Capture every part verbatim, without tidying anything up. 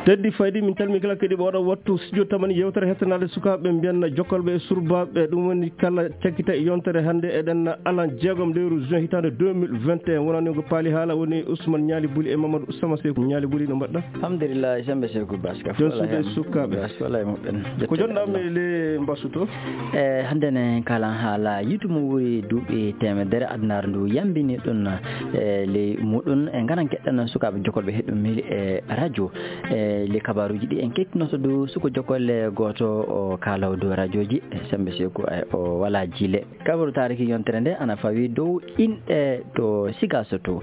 teddi faydi min calmi kala kadi ɓe waɗa wattu studio tamani yewtere hettanade sukaɓe mbiyanna jokkolɓe e surbaɓe ɗum woni kala cakkita e yontere hannde eɗen alan jeegom lewru juin hitande deux mille vingt et un wonani ko paali haala woni Ousmane Nialy Bouli e Mamadou Sama Sekou Nialy Bouli no mbaɗɗa alhamdulillah sembe Sekou Baska jon suuɓe sukaɓe wala moɓɓen ko jonɗami le mbasuto e hannde ne kalan haala yitumo wuri duuɓi temedere adnar ndu yambini ɗum e ley muɗum e garan keɗɗan sukaɓe jokkolɓe heɗɗumiri e radio e le kabaruji ɗi en kettinoto dow suko jokolle goto o kalaw dow radio ji sembe Sekou o wala jile kabaru tariki yontere nde ana fawi dow inɗe to Sigaso to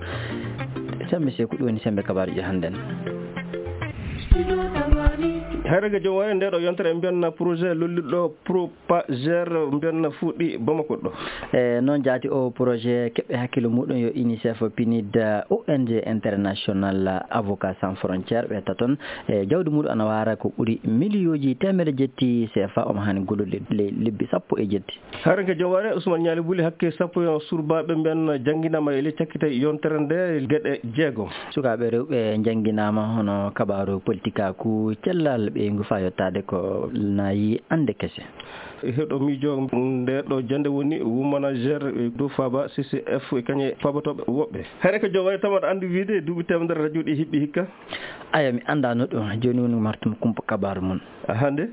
sembe Sekou ɗum woni sembe kabaruji hannden hayraga jom wari nde ɗo yontere mbiyanna projet lolliɗo Propagère mbiyanna fuuɗi Bamako ɗo e noon jaati o projet keɓɓe hakkille muɗum yo UNICEF P N I D O N G international avocat sans frontiére ɓe taton e jawdi muɗum ana wara ko ɓuuri milliuji temere jetti C F A omo hani gollude le lebbi sappo e jetti hayraga jom wari Ousmane Nialy Bouli hakke sappo yo surbaɓe mbiyanna jangguinama ele cakkita yontere nde gueɗe jeegom sukaɓe rewɓe jangguinama hono kabaru politique aku cellal ɓe ngufa yottade ko nayi ande kese heɗo miijo nde ɗo jande woni womanagére dow Faba C C F kañe fabatoɓe woɓɓe hayre ko jom wari tamaɗa andi wiide duuɓi temedere radio ɗi hiɓɓi hikka aya mi andano ɗum joni woni martuma kumpa kabaru mum hande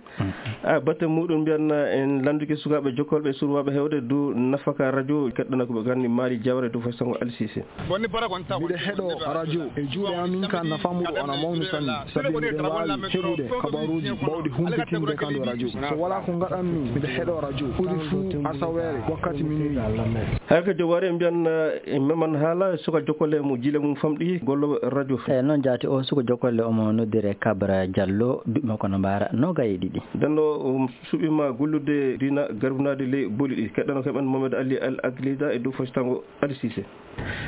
a batte muɗum mbiyanna en landuki sukaɓe jokkolɓe surwaɓe hewde dow nafaka radio keɗɗana koɓe ganni Mali Diawara dow fay sango Ali Cissé mbiɗa heeɗo radio e juuɗe amin ka nafamuɗo ana mawni sanni sabi miɗen wawi heɓude kabaruji bawɗi humpitinde kan ɗo radio so wala ko gaɗanmi mbiɗa heeɗo radio ɓuuri fuu asawere wakkati minuit hay ko jowari mbiyanna meman haala suka jokkolle mo jile mum famɗi golloɓe radio e noon jaati o suka jokkolle omo noddire Kabra Diallo duɓi makko no mbara nogaye ɗiɗi denno suɓima gollude dina garbinade ley booli ɗi keɗɗano keɓen Mamadou Ali Al Aglida e dow fasitango Ali Cissé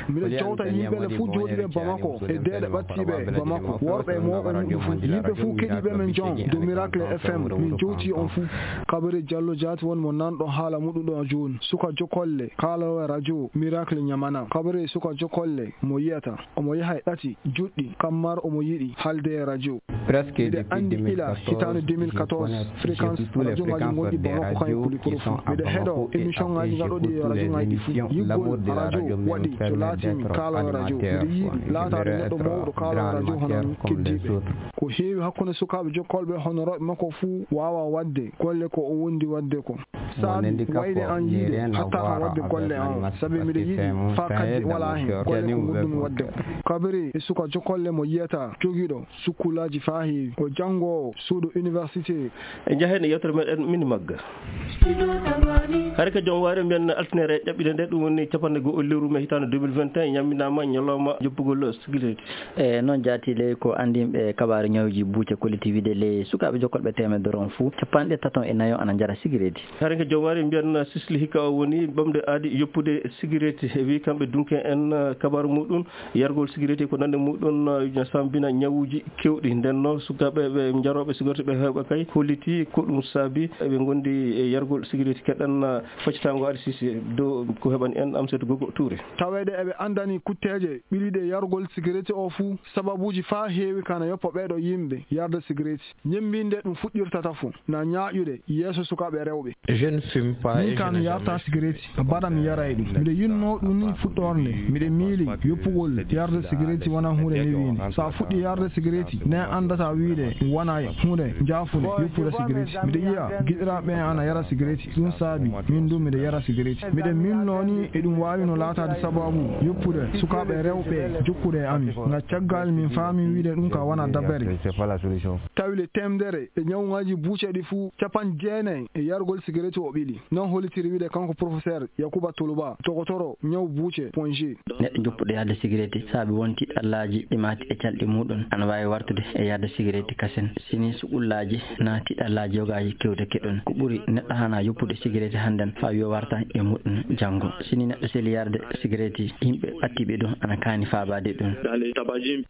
mbiɗa jowta yimɓele fuu jooɗiɓe Bamako e deeɗe ɓattiɓe Bamako worɓe e mawɓe muɗum fuu yimɓe fuu keɗiɓe men jon dow Miracle F M min jowti on fuu Kabri Diallo jaati woni mo nanɗo haala muɗum ɗo joni suka jokkolle kalawo radio Miracle Ñamana Kabri suka jokkolle mo yiyata omo yaha e ɗati juɗɗi kammar omo yiɗi halde e radio mbiɗa andi ila hitande deux mille quatorze fréquence radio ngaji gonɗi Bamako kañum kuli koro fuu mbiɗa heeɗo émission ngaji gaɗoɗi e radio ngaji ɗi fuu yiggol radio waɗi to laatimi kalawo radio mbiɗa yiiɗi laatade neɗɗo mawɗo kalawo radio hono keddiɓe ko heewi hakkude sukaɓe jokkolɓe honoroɓe makko fuu wawa wadde golle ko o wondi wadde ko saabi wayde an yiide hatta kan wadde golle an saabi mbiɗa yiiɗi fa kaddi wala hen golle ko goɗɗum wadde ko Kabri e suka jokkolle mo yiyata joguiɗo sukkulaji fa heewi o janggowo suuɗo université e jahene yewtere meɗen mini magga haade ko joom waari mbiyen altinere ƴaɓɓide nde ɗum woni capanɗe goho lewru mai hitande deux mille vingt et un ñamminama ñalawma joppugol sécurité e noon jaati ley ko andimɓe kabaru ñawji buuce collectivité ley sukaɓe jokkolɓe temedere on fou capanɗe taton e nayo ana jara sécurité haade ko joom waari mbiyen sisli hikka o woni ɓamde aadi yoppude sécurité e wi kamɓe dunke en kabaru muɗum yargol sécurité ko nande muɗum sambina ñawuji kewɗi nden noon sukaɓe ɓe jaroɓe sécurité ɓe hewɓe kay holliti ko ɗum saabi eɓe gondi e yargol sécurité keɗɗan faccitango Ali Cissé dow ko heɓani en Amsatou Gogo Touré tawede eɓe andani kutteje ɓiriɗe yargol sécurité o fuu sababuji fa heewi kana yoppa ɓeɗo yimɓe yarde sécurité ñembinde ɗum fuɗɗirtata fuu na ñaaƴude yeeso sukaɓe rewɓe je ne fume pas min kan yarta sécurité baɗa mi yara e ɗum mbiɗa yinno ɗum ni fuɗɗorde mbiɗa miili yoppugol yarde sécurité wona hunde newinde sa fuɗɗi yarde sécurité ne andata wiide wona hunde jaafude yoppude sécurité mbiɗa yiya giɗiraɓe ana yara sécurité ɗum saabi min ɗum mbiɗa yara sécurité mbiɗa milno ni e ɗum wawi no laatade sababu yoppude sukaɓe rewɓe jokkude e ami ga caggal min faami wiide ɗum ka wona dabbere tawile temdere e ñawgaji buuceɗi fuu capan jeenayi e yargol sécurité o ɓiɗi non hollitiri wiide kanko professeur Yakuba Toluba togotoro ñaw buuce point g neɗɗo joppuɗo yarde sécurité saabi won tiɗɗallaji ɗi mati e calɗi muɗum ana wawi wartude e yarde sécurité kasen sini suɓullaji na tiɗɗallaji yogaji kewde keɗon ko ɓuuri neɗɗo hana yoppude sécurité hannden fa wiyo warta e muɗum janggo sini neɗɗo seeli yarde sécurité yimɓe ɓattiɓe ɗum ana kaani fabade ɗum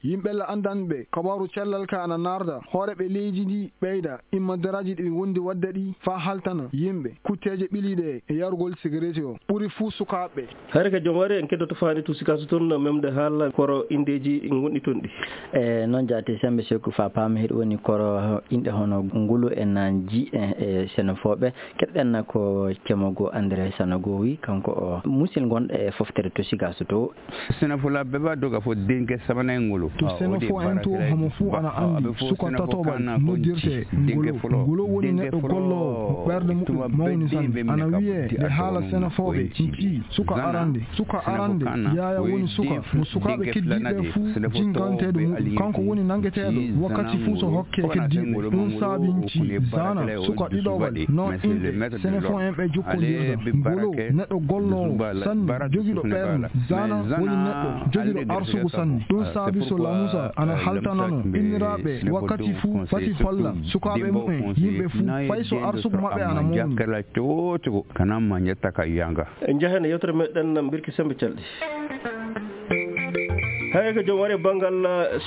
yimɓe la andanɓe kabaru cellal Afrika ana narda hoore ɓe leydi ndi ɓeyda immanderaji ɗi wondi wadde ɗi fa haltana yimɓe kutteje ɓiliɗe e yarugol cigarette o ɓuri fuu sukaɓe. hayre ka joom wari en keddoto faani to sikaso toon memde haala koro indeji gonɗi toon ɗi e noon jaati sembe seko fa paama heɗo woni koro inɗe hono ngulu en jiiɗe e sénéfoɓe keɗɗen ko cemogo André Sanogo wi kanko o musil gonɗo e foftere to sikaso to sénéfolaɓe ɓe doga fo dingue samana e ngulu to sénéfo en to homo fuu ana andi suka tatoɓal noddirte ngulu ngulu woni neɗɗo gollowo ɓerde muɗum mawni sanne ana wiye nde haala sénéfoɓe ci suka arande suka arande yaya woni suka mo sukaɓe keddiɓe fuu jinganteɗo muɗum kanko woni nangueteɗo wakkati fuu so hokke keddiɓe ɗum saabinci zana suka ɗiɗoɓal non inɗe sénéfo en ɓe jokkodirta ngolo neɗɗo gollowo sanne jogiɗo ɓerde zana woni neɗɗo jogiɗo arsugu sanne ɗum saabi so lamusa ana haltanano inniraɓe wakkati fuu fati holla sukaɓe mumen yimɓe fuu fay so arsugu maɓɓe ana mawni jakkala cocogo kanamma jetta ka yanga en jahene yewtere meɗen birki sembe calɗi hay ko joom wari banggal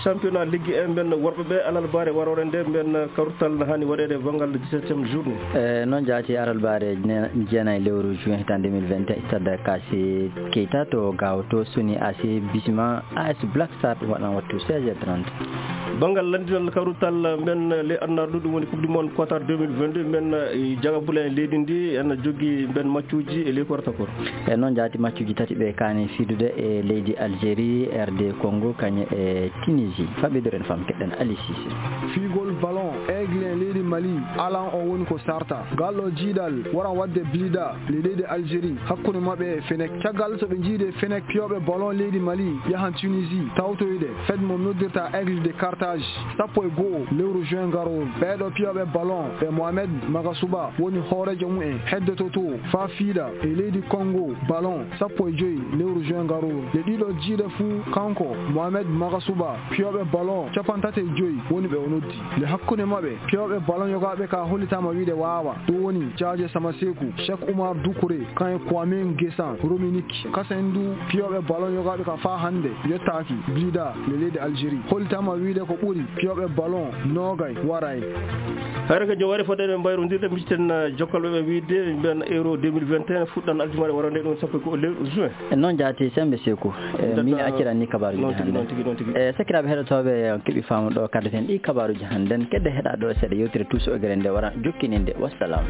championnat ligue en ben worɓe ɓe alal bare warore nde ben kawrutal hani waɗede banggal dix-septième journée e noon jaati aral bare jeenayi lewru juin hitan deux mille vingt et un stade Kassi Keita to gaw to soni A C Bisma A S Black Star waɗan wattu seize heures trente banggal landinal kawrutal men le annarɗo ɗum woni coupe du monde Qatar deux mille vingt-deux men jagabula en leydi ndi en jogui ben matchuji e ley korta kor e noon jaati matchuji tati ɓe kani fidude e leydi Algérie R D Congo kañe e Tunisie faɓidoren fam keɗɗen Ali Cissé figol ballon aigle leydi Mali alan o woni ko sarta galɗo jiiɗal waran wadde blida le leydi Algérie hakkude mabɓe e Fenech caggal so ɓe jiide Fenech piyoɓe ballon leydi Mali yahan Tunisie tawtoyde fed mo noddirta aigle de Carthage sappo e goho lewru juin garol ɓeɗo piyoɓe ballon ɓe Mohamed Magasuba woni hoorejo mumen heddoto to fa fiida e leydi Congo ballon sappo e joyi lewru juin garol le ɗiɗo jiiɗe fuu kanko Mohamed Magasuba piyoɓe ballon capantate joyi woni ɓe o noddi le hakkude maɓɓe piyoɓe ballon yogaɓe ka hollitama wiide wawa ɗum woni Diadje Samasekou Cheikh Oumar Doucouré kan Kwame Ngesan Rominique kasen du piyoɓe ballon yogaɓe ka fa hande yettaki blida le leydi Algérie hollitama wiide ko ɓuuri piyoɓe ballon nogay waray hayre ko joom wari foɗede mbayrodirde micten jokkalɓe ɓe wiide ben euro deux mille vingt et un fuɗɗan aljumare warande ɗum sappo ko lewru juin e noon jaati sembe Sekou min accirani kabaruji hande e sakiraɓe heɗotoɓe keeɓi faamu ɗo kaddaten ɗi kabaruji hannden kedde heɗa ɗo seeɗa yewtire tuuso e gere nde wara jokkininde wassalam.